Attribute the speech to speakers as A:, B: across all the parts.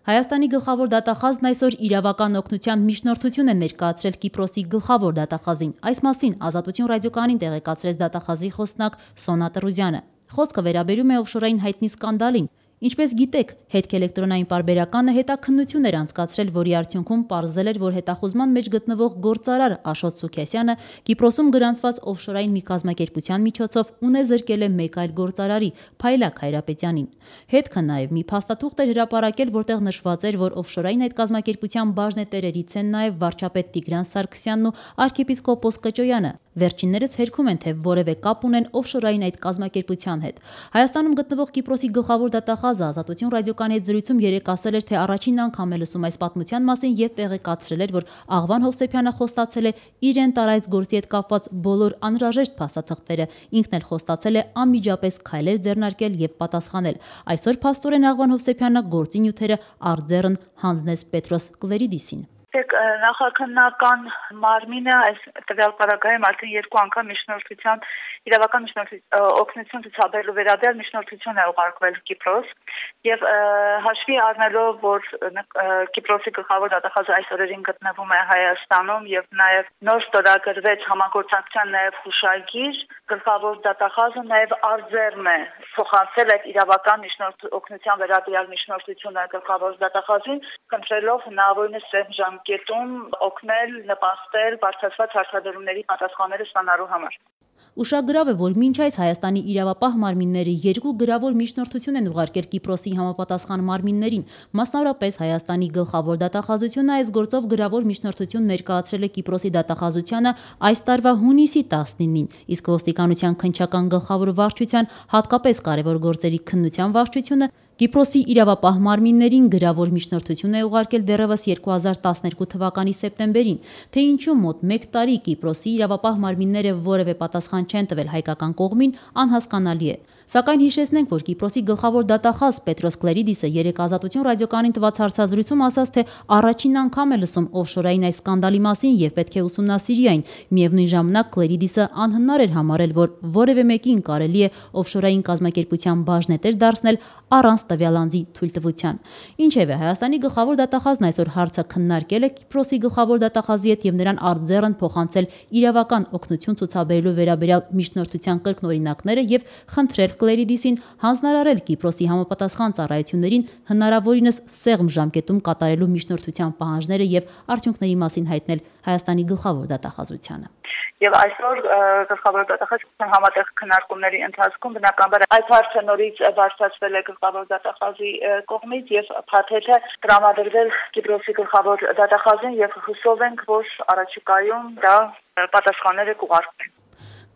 A: Հայաստանի գլխավոր դատախազն այսօր իրավական օգնության միջնորդություն է ներկայացրել Կիպրոսի գլխավոր դատախազին։ Այս մասին Ազատություն ռադիոկայանին տեղեկացրեց դատախազի խոսնակ Սոնա Տրուզյանը։ Խոսքը վերաբերում է օֆշորային հայտնի սկանդալին։ Ինչպես գիտեք, հետքելեկտրոնային պարբերականը հետաքննություն էր անցկացրել, որի արդյունքում պարզել էր, որ հետախուզման մեջ գտնվող գործարար Աշոտ Սուքեսյանը Կիպրոսում գրանցված օֆշորային մի կազմակերպության միջոցով ունե զրկել է մեկ այլ գործարարի՝ Փայլակ Հայրապետյանին։ Հետքը նաև մի փաստաթուղթ էր հրապարակել, որտեղ նշված էր, որ օֆշորային այդ կազմակերպության բաժնետերերից են նաև վարչապետ Տիգրան Սարգսյանն ու arczepiskopos Կճոյանը։ Վերջիններս հերքում են, թե որևէ կապ ունեն օֆշորային այդ կազմակերպության հետ։ Հայաստանում գտնվող Կիպրոսի գլխավոր դատախազը Ազատություն ռադիոկայանի հետ զրույցում երեկ ասել էր, թե առաջին անգամ է լսում այս պատմության մասին եւ տեղեկացրել էր, որ Աղվան Հովսեփյանը խոստացել է իրեն տարայց գործի հետ կապված բոլոր անհրաժեշտ փաստաթղթերը։ Ինքն էլ խոստացել է անմիջապես քայլեր ձեռնարկել եւ պատասխանել։ Այսօր փաստորեն Աղվան Հովսեփյանը գործի նյութերը արձեռն հանձնեց Պետրոս Կլերիդիսին։
B: Նախաքննական մարմինը այս տվյալ պարագայում արդեն երկու անգամ միջնորդության իրավական օգնություն ցուցաբերելու վերաբերյալ միջնորդություն է ուղարկվել Կիպրոս եւ հաշվի առնելով, որ Կիպրոսի գլխավոր դատախազը այս օրերին գտնվում է Հայաստանում եւ նաեւ նոր ստորագրվեց համագործակցության նաեւ հուշագիր, գլխավոր դատախազը նաեւ արձեռն է փոխանցել այդ իրավական օգնության վերաբերյալ միջնորդությունը գլխավոր դատախազին, խնդրելով հնարավորինս ժամկետում օգնել, նպաստել բարձրացված հարցադրումների պատասխանները ստանալու համար։
A: Ուշագրավ է, որ մինչ այս Հայաստանի իրավապահ մարմինները երկու գրավոր միջնորդություն են ուղարկել Կիպրոսի համապատասխան մարմիններին։ Մասնավորապես Հայաստանի գլխավոր դատախազությունը այս գործով գրավոր միջնորդություն ներկայացրել է Կիպրոսի դատախազությանը այս տարվա հունիսի 19-ին, իսկ ոստիկանության քննչական գլխավոր վարչության, հատկապես կարևոր գործերի քննության վարչությունը Կիպրոսի իրավապահ մարմիններին գրավոր միջնորդություն է ուղարկել դեռևս 2012 թվականի սեպտեմբերին, թե ինչու մոտ 1 տարի Կիպրոսի իրավապահ մարմինները որևէ պատասխան չեն տվել հայկական կողմին, անհասկանալի է։ Սակայն հիշեցնենք, որ Կիպրոսի գլխավոր դատախազ Պետրոս Կլերիդիսը երեկ Ազատություն ռադիոկայանին տված հարցազրույցում ասաց, թե առաջին անգամ է լսում օֆշորային այս սկանդալի մասին եւ պետք է ուսումնասիրի այն։ Միևնույն ժամանակ Կլերիդիսը անհնար էր համարել, որ որևէ մեկին կարելի է օֆշորային կազմակերպության բաժնետեր դարձնել առանց տվյալ անձի թույլտվության։ Ինչևէ, Հայաստանի գլխավոր դատախազն այսօր հարցը քննարկել է Կիպրոսի գլխավոր դատախազի հետ եւ նրան արձեռն փոխանցել իրավական օգնություն ցուցաբերելու վերաբերյալ միջնորդության կրկնօրինակները եւ խնդրել Կլերիդիսին հանձնարարել Կիպրոսի համապատասխան ծառայություններին հնարավորինս սեղմ ժամկետում կատարելու միջնորդության պահանջները եւ արդյունքների մասին հայտնել Հայաստանի գլխավոր դատախազությանը։
B: Եվ այսօր գլխավոր դատախազի համատեղ քննարկումների ընթացքում բնականաբար այս հարցը նորից բարձրացվել է գլխավոր դատախազի կողմից եւ փաթեթը տրամադրվել Կիպրոսի գլխավոր դատախազին եւ հուսով ենք, որ առաջիկայում դա պատասխանները կուղարկվեն։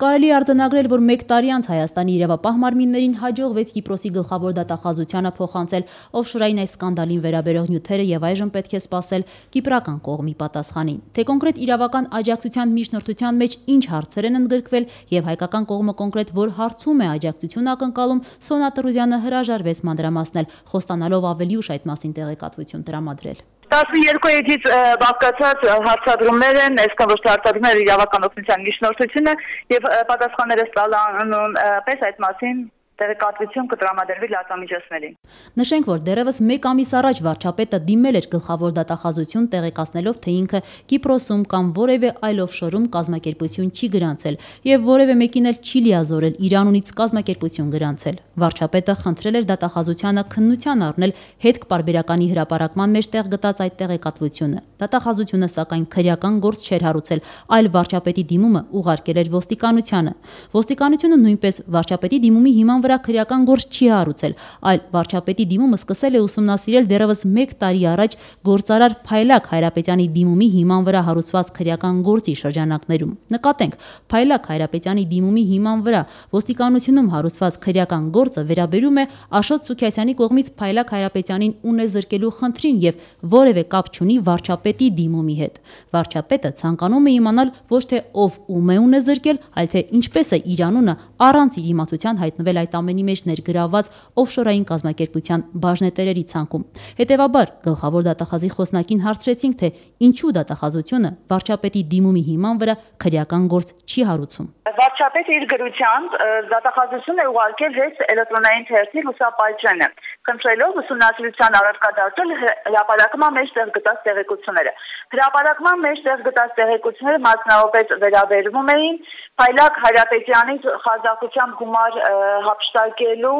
A: Կարելի է արձանագրել, որ 1 տարի անց Հայաստանի իրավապահ մարմիններին հաջողվեց Կիպրոսի գլխավոր դատախազությանը փոխանցել օֆշորային այս սկանդալին վերաբերող նյութերը եւ այժմ պետք է սպասել կիպրական կողմի պատասխանին։ Թե կոնկրետ իրավական աջակցության միջնորդության մեջ ինչ հարցեր են ընդգրկվել եւ հայկական կողմը կոնկրետ որ հարցում է աջակցություն ակնկալում, Սոնա Տրուզյանը հրաժարվեց մանրամասնել, խոստանալով ավելի ուշ այդ մասին տեղեկատվություն տրամադրել։
B: 12-ից բաղկացած հարցադրումներ են, այսքան ոչ թե հարցադրումները իրավական օգնության միջնորդությունը եւ պատասխանները ստանալուն պես այդ մասին տեղեկատվություն կտրամադրվի լրատվամիջոցներին։
A: Նշենք, որ դեռևս 1 ամիս առաջ վարչապետը դիմել էր գլխավոր դատախազություն տեղեկացնելով, թե ինքը Կիպրոսում կամ որևէ այլ օֆշորում կազմակերպություն չի գրանցել եւ որևէ մեկին էլ չի լիազորել Իրանունից կազմակերպություն գրանցել։ Վարչապետը խնդրել էր դատախազությանը քննության առնել հետք պարբերականի հրապարակման մեջ տեղ գտած այդ տեղեկատվությունը։ Դատախազությունը սակայն քրեական գործ չէր հարուցել, այլ վարչապետի դիմումը ուղարկել էր ոստիկանությանը։ Ոստիկանությունը նույնպես վարչապետի դիմումի հիման վրա քրեական գործ չի հարուցել, այլ վարչապետի դիմումը սկսել է ուսումնասիրել դեռևս 1 տարի առաջ գործարար Փայլակ Հայրապետյանի դիմումի հիման վրա հարուցված քրեական գործի շրջանակներում։ Նկատենք, Փայլակ Հայրապետյանի դիմումի հիման վրա ոստիկանությունում հարուցված քրեական գործը վերաբերում է Աշոտ Սուքեսյանի կողմից Փայլակ Հայրապետյանին ունեզրկելու խնդրին եւ որևէ կապ չունի վարչապետի դիմումի հետ։ Վարչապետը ցանկանում է իմանալ ոչ թե ով ում է ունեզրկել, այլ թե ինչպես է իր անունը առանց իր իմացության հայտնվել այդ այդ ամենի մեջ ներգրավված օֆշորային կազմակերպության բաժնետերերի ցանկում։ Հետևաբար գլխավոր դատախազի խոսնակին հարցրեցինք, թե ինչու դատախազությունը վարչապետի դիմումի հիման վրա քրեական գործ չի հարուցում։
B: Վարչապետը իր գրությամբ դատախազություն է ուղարկել հենց էլեկտրոնային թերթի լուսապայճենը, խնդրելով ուսումնասիրության առարկա դարձնել հրապարակման մեջ տեղ գտած տեղեկությունները։ Հրապարակման մեջ տեղ գտած տեղեկությունները մասնավորապես վերաբերվում էին Փայլակ Հայրապետյանի խազախությամբ գումար հափշտակելու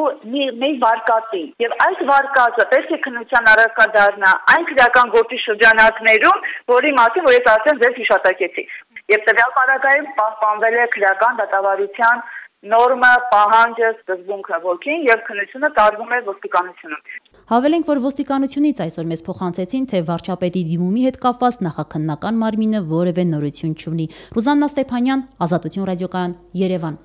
B: մի վարկածին։ Եվ այս վարկածը պետք է քննության առարկա դառնա այն քրեական գործի շրջանակներում, որի մասին որ ես արդեն ձեզ հիշատակեցի։ Եվ տվյալ պարագայում պահպանվել է քրեական դատավարության նորմը, պահանջը, սկզբունքը ոգին եւ քննությունը տարվում է ոստիկանությունում։
A: Հավելենք, որ ոստիկանությունից այսօր մեզ փոխանցեցին, թե վարչապետի դիմումի հետ կապված նախաքննական մարմինը որևէ նորություն չունի։ Ռուզաննա Ստեփանյան, Ազատություն ռադիոկայան, Երևան։